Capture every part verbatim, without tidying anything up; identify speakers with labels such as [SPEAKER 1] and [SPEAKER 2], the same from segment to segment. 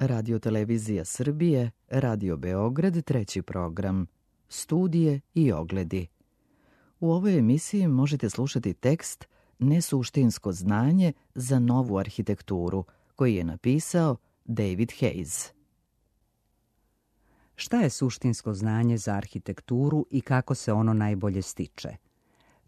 [SPEAKER 1] Radio Televizija Srbije, Radio Beograd, treći program, studije i ogledi. U ovoj emisiji možete slušati tekst Nesuštinsko znanje za novu arhitekturu, koji je napisao David Hayes.
[SPEAKER 2] Šta je suštinsko znanje za arhitekturu i kako se ono najbolje stiče?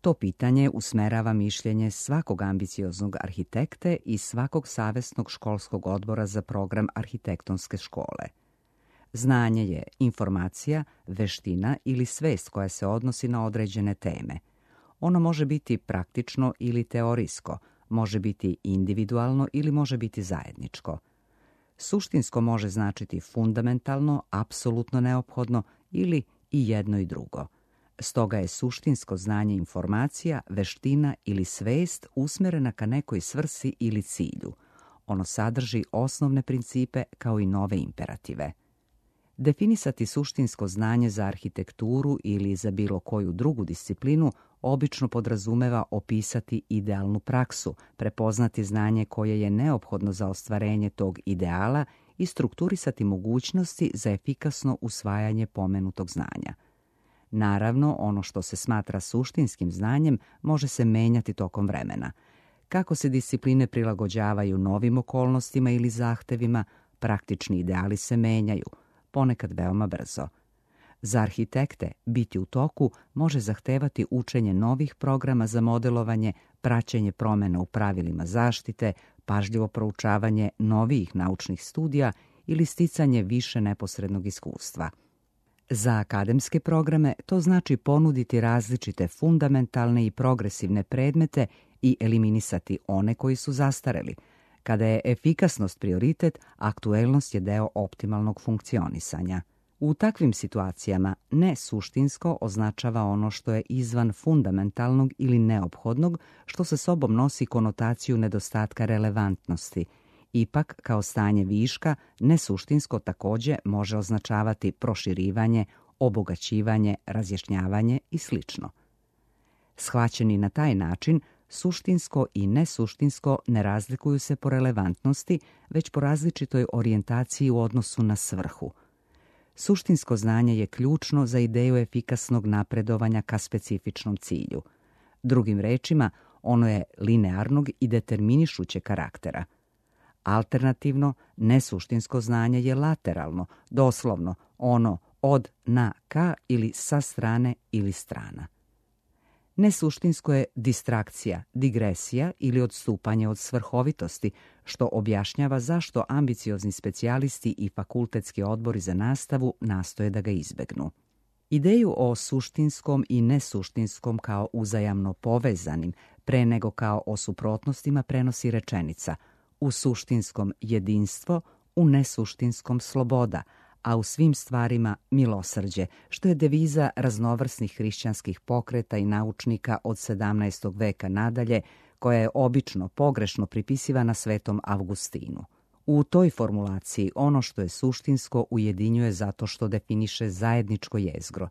[SPEAKER 2] To pitanje usmerava mišljenje svakog ambicioznog arhitekte i svakog savesnog školskog odbora za program arhitektonske škole. Znanje je informacija, veština ili svest koja se odnosi na određene teme. Ono može biti praktično ili teorijsko, može biti individualno ili može biti zajedničko. Suštinsko može značiti fundamentalno, apsolutno neophodno ili i jedno i drugo. Stoga je suštinsko znanje informacija, veština ili svest usmerena ka nekoj svrsi ili cilju. Ono sadrži osnovne principe kao i nove imperative. Definisati suštinsko znanje za arhitekturu ili za bilo koju drugu disciplinu obično podrazumeva opisati idealnu praksu, prepoznati znanje koje je neophodno za ostvarenje tog ideala i strukturisati mogućnosti za efikasno usvajanje pomenutog znanja. Naravno, ono što se smatra suštinskim znanjem može se menjati tokom vremena. Kako se discipline prilagođavaju novim okolnostima ili zahtevima, praktični ideali se menjaju, ponekad veoma brzo. Za arhitekte biti u toku može zahtevati učenje novih programa za modelovanje, praćenje promjena u pravilima zaštite, pažljivo proučavanje novijih naučnih studija ili sticanje više neposrednog iskustva. Za akademske programe to znači ponuditi različite fundamentalne i progresivne predmete i eliminisati one koji su zastareli. Kada je efikasnost prioritet, aktuelnost je deo optimalnog funkcionisanja. U takvim situacijama nesuštinsko označava ono što je izvan fundamentalnog ili neophodnog, što sa sobom nosi konotaciju nedostatka relevantnosti. Ipak, kao stanje viška, nesuštinsko također može označavati proširivanje, obogaćivanje, razjašnjavanje i sl. Shvaćeni na taj način, suštinsko i nesuštinsko ne razlikuju se po relevantnosti, već po različitoj orijentaciji u odnosu na svrhu. Suštinsko znanje je ključno za ideju efikasnog napredovanja ka specifičnom cilju. Drugim rečima, ono je linearnog i determinišuće karaktera. Alternativno, nesuštinsko znanje je lateralno, doslovno ono od, na, ka ili sa strane ili strana. Nesuštinsko je distrakcija, digresija ili odstupanje od svrhovitosti, što objašnjava zašto ambiciozni specijalisti i fakultetski odbori za nastavu nastoje da ga izbegnu. Ideju o suštinskom i nesuštinskom kao uzajamno povezanim, pre nego kao o suprotnostima prenosi rečenica: u suštinskom jedinstvo, u nesuštinskom sloboda, a u svim stvarima milosrđe, što je deviza raznovrsnih hrišćanskih pokreta i naučnika od sedamnaestog veka nadalje, koja je obično pogrešno pripisivana svetom Avgustinu. U toj formulaciji ono što je suštinsko ujedinjuje zato što definiše zajedničko jezgro.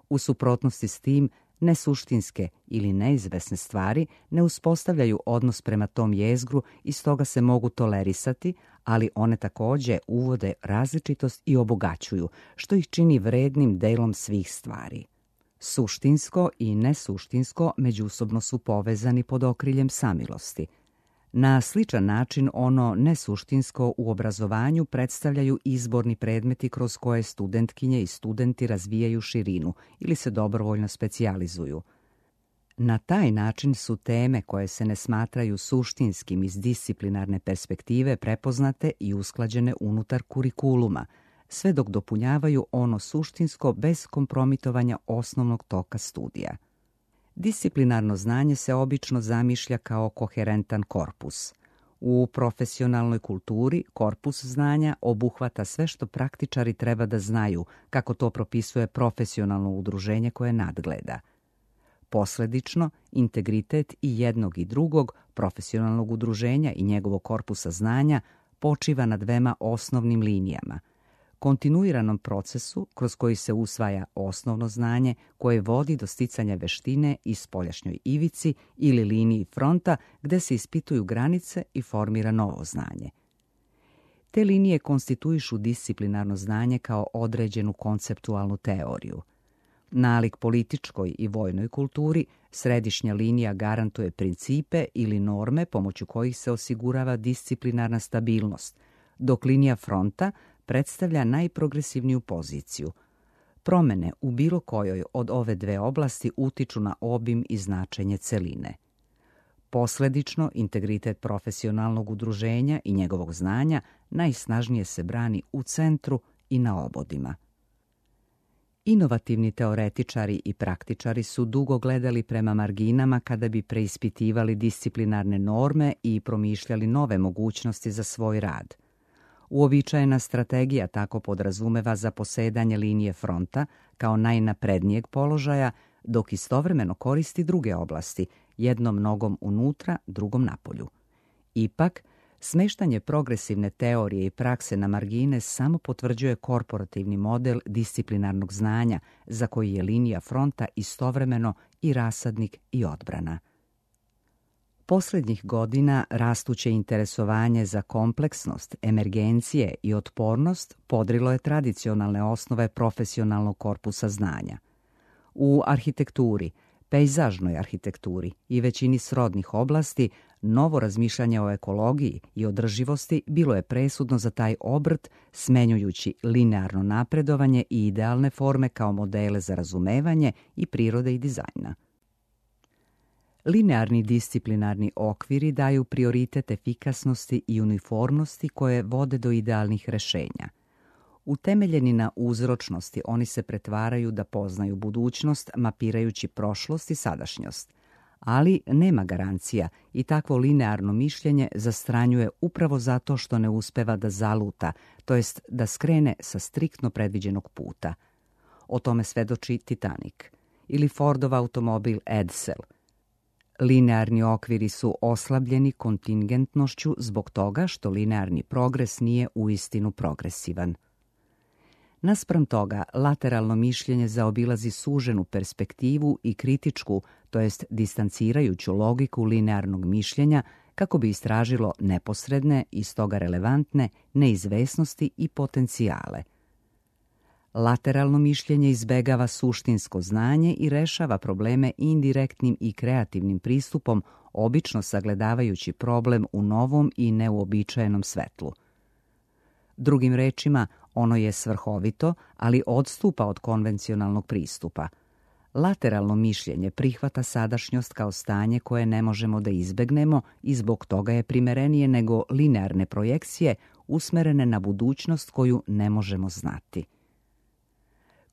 [SPEAKER 2] U suprotnosti s tim, nesuštinske ili neizvesne stvari ne uspostavljaju odnos prema tom jezgru i stoga se mogu tolerisati, ali one također uvode različitost i obogaćuju, što ih čini vrednim delom svih stvari. Suštinsko i nesuštinsko međusobno su povezani pod okriljem samilosti. Na sličan način ono nesuštinsko u obrazovanju predstavljaju izborni predmeti kroz koje studentkinje i studenti razvijaju širinu ili se dobrovoljno specijalizuju. Na taj način su teme koje se ne smatraju suštinskim iz disciplinarne perspektive prepoznate i usklađene unutar kurikuluma, sve dok dopunjavaju ono suštinsko bez kompromitovanja osnovnog toka studija. Disciplinarno znanje se obično zamišlja kao koherentan korpus. U profesionalnoj kulturi korpus znanja obuhvata sve što praktičari treba da znaju, kako to propisuje profesionalno udruženje koje nadgleda. Posledično, integritet i jednog i drugog profesionalnog udruženja i njegovog korpusa znanja počiva na dvema osnovnim linijama: kontinuiranom procesu kroz koji se usvaja osnovno znanje koje vodi do sticanja veštine i spoljašnjoj ivici ili liniji fronta gde se ispituju granice i formira novo znanje. Te linije konstituišu disciplinarno znanje kao određenu konceptualnu teoriju. Nalik političkoj i vojnoj kulturi, središnja linija garantuje principe ili norme pomoću kojih se osigurava disciplinarna stabilnost, dok linija fronta predstavlja najprogresivniju poziciju. Promene u bilo kojoj od ove dve oblasti utiču na obim i značenje celine. Posledično, integritet profesionalnog udruženja i njegovog znanja najsnažnije se brani u centru i na obodima. Inovativni teoretičari i praktičari su dugo gledali prema marginama kada bi preispitivali disciplinarne norme i promišljali nove mogućnosti za svoj rad. Uobičajena strategija tako podrazumeva zaposedanje linije fronta kao najnaprednijeg položaja, dok istovremeno koristi druge oblasti, jednom nogom unutra, drugom napolju. Ipak, smeštanje progresivne teorije i prakse na margine samo potvrđuje korporativni model disciplinarnog znanja, za koji je linija fronta istovremeno i rasadnik i odbrana. Posljednjih godina rastuće interesovanje za kompleksnost, emergencije i otpornost podrilo je tradicionalne osnove profesionalnog korpusa znanja. U arhitekturi, pejzažnoj arhitekturi i većini srodnih oblasti, novo razmišljanje o ekologiji i održivosti bilo je presudno za taj obrt, smenjujući linearno napredovanje i idealne forme kao modele za razumevanje i prirode i dizajna. Linearni disciplinarni okviri daju prioritet efikasnosti i uniformnosti koje vode do idealnih rešenja. Utemeljeni na uzročnosti, oni se pretvaraju da poznaju budućnost, mapirajući prošlost i sadašnjost. Ali nema garancija i takvo linearno mišljenje zastranjuje upravo zato što ne uspeva da zaluta, to jest da skrene sa striktno predviđenog puta. O tome svedoči Titanic ili Fordov automobil Edsel. Linearni okviri su oslabljeni kontingentnošću zbog toga što linearni progres nije uistinu progresivan. Naspram toga, lateralno mišljenje zaobilazi suženu perspektivu i kritičku, to jest distancirajuću logiku linearnog mišljenja, kako bi istražilo neposredne i stoga relevantne neizvesnosti i potencijale. Lateralno mišljenje izbegava suštinsko znanje i rešava probleme indirektnim i kreativnim pristupom, obično sagledavajući problem u novom i neuobičajenom svetlu. Drugim rečima, ono je svrhovito, ali odstupa od konvencionalnog pristupa. Lateralno mišljenje prihvata sadašnjost kao stanje koje ne možemo da izbegnemo i zbog toga je primerenije nego linearne projekcije usmerene na budućnost koju ne možemo znati.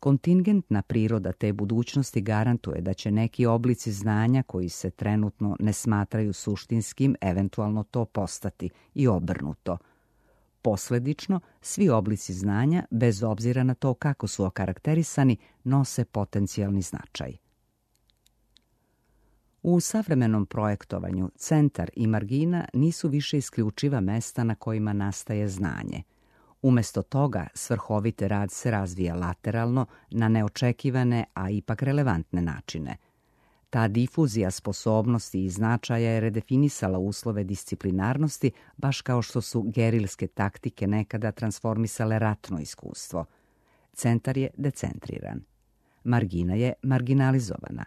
[SPEAKER 2] Kontingentna priroda te budućnosti garantuje da će neki oblici znanja koji se trenutno ne smatraju suštinskim eventualno to postati i obrnuto. Posledično, svi oblici znanja, bez obzira na to kako su okarakterisani, nose potencijalni značaj. U savremenom projektovanju centar i margina nisu više isključiva mesta na kojima nastaje znanje. Umjesto toga, svrhovite rad se razvija lateralno na neočekivane, a ipak relevantne načine. Ta difuzija sposobnosti i značaja je redefinisala uslove disciplinarnosti, baš kao što su gerilske taktike nekada transformisale ratno iskustvo. Centar je decentriran. Margina je marginalizovana.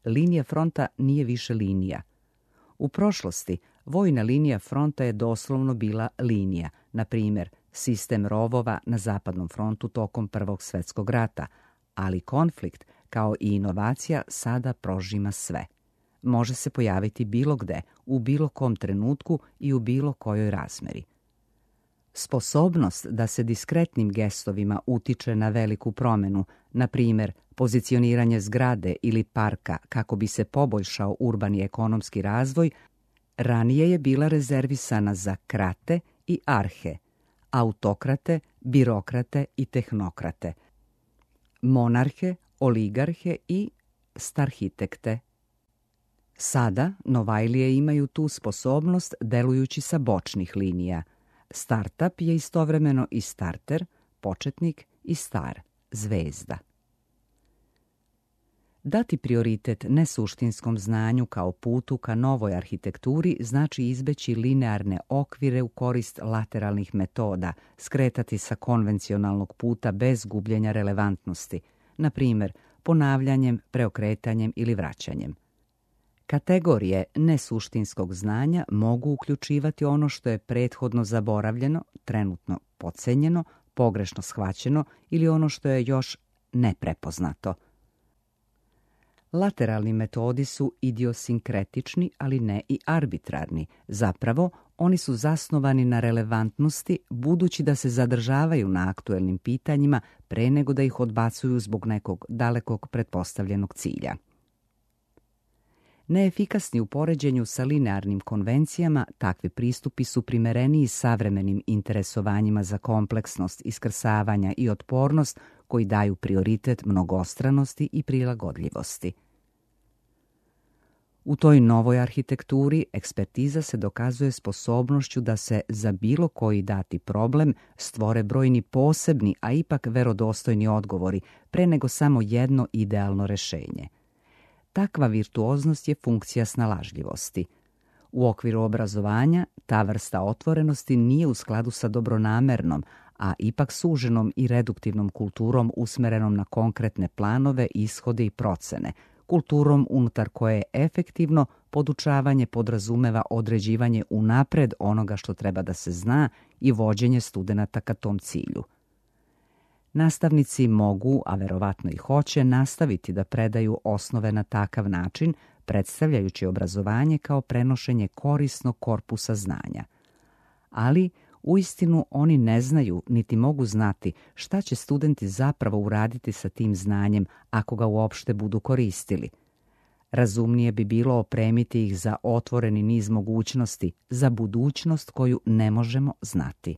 [SPEAKER 2] Linija fronta nije više linija. U prošlosti, vojna linija fronta je doslovno bila linija, na primjer, sistem rovova na zapadnom frontu tokom Prvog svjetskog rata, ali konflikt, kao i inovacija, sada prožima sve. Može se pojaviti bilo gde, u bilo kom trenutku i u bilo kojoj razmeri. Sposobnost da se diskretnim gestovima utiče na veliku promenu, na primjer pozicioniranje zgrade ili parka kako bi se poboljšao urbani ekonomski razvoj, ranije je bila rezervisana za krate i arhe, autokrate, birokrate i tehnokrate, monarhe, oligarhe i starhitekte. Sada Novajlije imaju tu sposobnost delujući sa bočnih linija. Startup je istovremeno i starter, početnik i star, zvezda. Dati prioritet nesuštinskom znanju kao putu ka novoj arhitekturi znači izbeći linearne okvire u korist lateralnih metoda, skretati sa konvencionalnog puta bez gubljenja relevantnosti, na primjer ponavljanjem, preokretanjem ili vraćanjem. Kategorije nesuštinskog znanja mogu uključivati ono što je prethodno zaboravljeno, trenutno podcenjeno, pogrešno shvaćeno ili ono što je još neprepoznato. Lateralni metodi su idiosinkretični, ali ne i arbitrarni. Zapravo, oni su zasnovani na relevantnosti, budući da se zadržavaju na aktuelnim pitanjima pre nego da ih odbacuju zbog nekog dalekog pretpostavljenog cilja. Neefikasni u poređenju sa linearnim konvencijama, takvi pristupi su primereniji savremenim interesovanjima za kompleksnost, iskrsavanja i otpornost koji daju prioritet mnogostranosti i prilagodljivosti. U toj novoj arhitekturi ekspertiza se dokazuje sposobnošću da se za bilo koji dati problem stvore brojni posebni, a ipak verodostojni odgovori, pre nego samo jedno idealno rešenje. Takva virtuoznost je funkcija snalažljivosti. U okviru obrazovanja ta vrsta otvorenosti nije u skladu sa dobronamernom, a ipak suženom i reduktivnom kulturom usmerenom na konkretne planove, ishode i procene, kulturom unutar koje efektivno podučavanje podrazumeva određivanje unapred onoga što treba da se zna i vođenje studenata ka tom cilju. Nastavnici mogu, a verovatno i hoće, nastaviti da predaju osnove na takav način, predstavljajući obrazovanje kao prenošenje korisnog korpusa znanja. Ali, uistinu, oni ne znaju niti mogu znati šta će studenti zapravo uraditi sa tim znanjem ako ga uopšte budu koristili. Razumnije bi bilo opremiti ih za otvoreni niz mogućnosti, za budućnost koju ne možemo znati.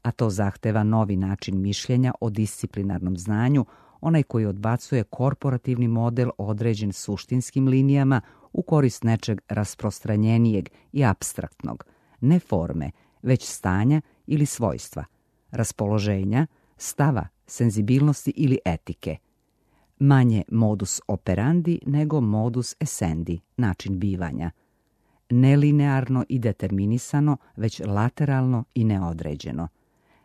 [SPEAKER 2] A to zahteva novi način mišljenja o disciplinarnom znanju, onaj koji odbacuje korporativni model određen suštinskim linijama u korist nečeg rasprostranjenijeg i apstraktnog, ne forme, već stanja ili svojstva, raspoloženja, stava, senzibilnosti ili etike. Manje modus operandi nego modus essendi, način bivanja. Nelinearno i determinisano, već lateralno i neodređeno.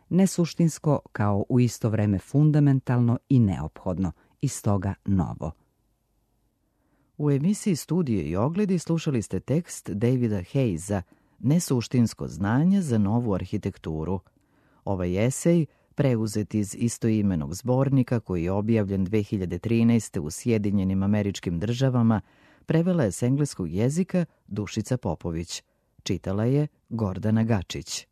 [SPEAKER 2] Nesuštinsko kao u isto vreme fundamentalno i neophodno, i stoga novo.
[SPEAKER 1] U emisiji Studije i ogledi slušali ste tekst Davida Hayesa Nesuštinsko znanje za novu arhitekturu. Ovaj esej, preuzet iz istoimenog zbornika koji je objavljen dve hiljade trinaeste. u Sjedinjenim Američkim Državama, prevela je s engleskog jezika Dušica Popović. Čitala je Gordana Gačić.